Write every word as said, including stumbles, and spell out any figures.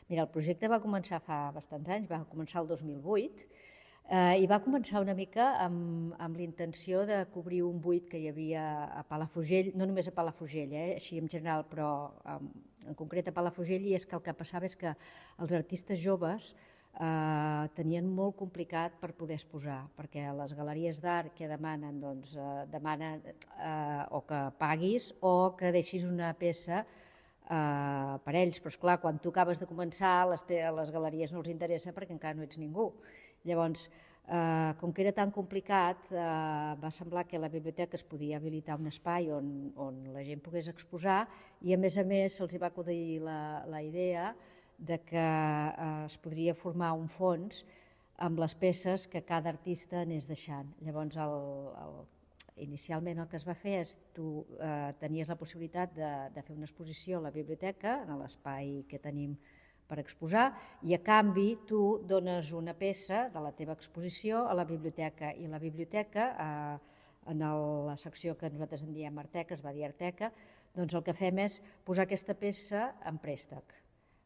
Mira, el projecte va començar fa bastants anys, va començar el dos mil vuit, eh, i va començar una mica amb, amb l'intenció de cobrir un buit que hi havia a Palafrugell, no només a Palafrugell, eh, així en general, però um, en concret a Palafrugell, i és que el que passava és que els artistes joves eh, tenien molt complicat per poder exposar, perquè les galeries d'art que demanen, doncs, eh, demanen eh, o que paguis o que deixis una peça eh, per ells, però esclar, quan tu acabes de començar, les, te, les galeries no els interessa perquè encara no ets ningú. Llavors, eh, com que era tan complicat, eh, va semblar que a la biblioteca es podia habilitar un espai on, on la gent pogués exposar, i a més a més se'ls va acudir la, la idea de que eh, es podria formar un fons amb les peces que cada artista anés deixant. Llavors, el, el, inicialment el que es va fer és tu eh, tenies la possibilitat de, de fer una exposició a la biblioteca, en l'espai que tenim per exposar, i a canvi tu dones una peça de la teva exposició a la biblioteca, i la biblioteca, eh, en el, la secció que nosaltres en diem Arteca, es va dir Arteca, doncs el que fem és posar aquesta peça en préstec.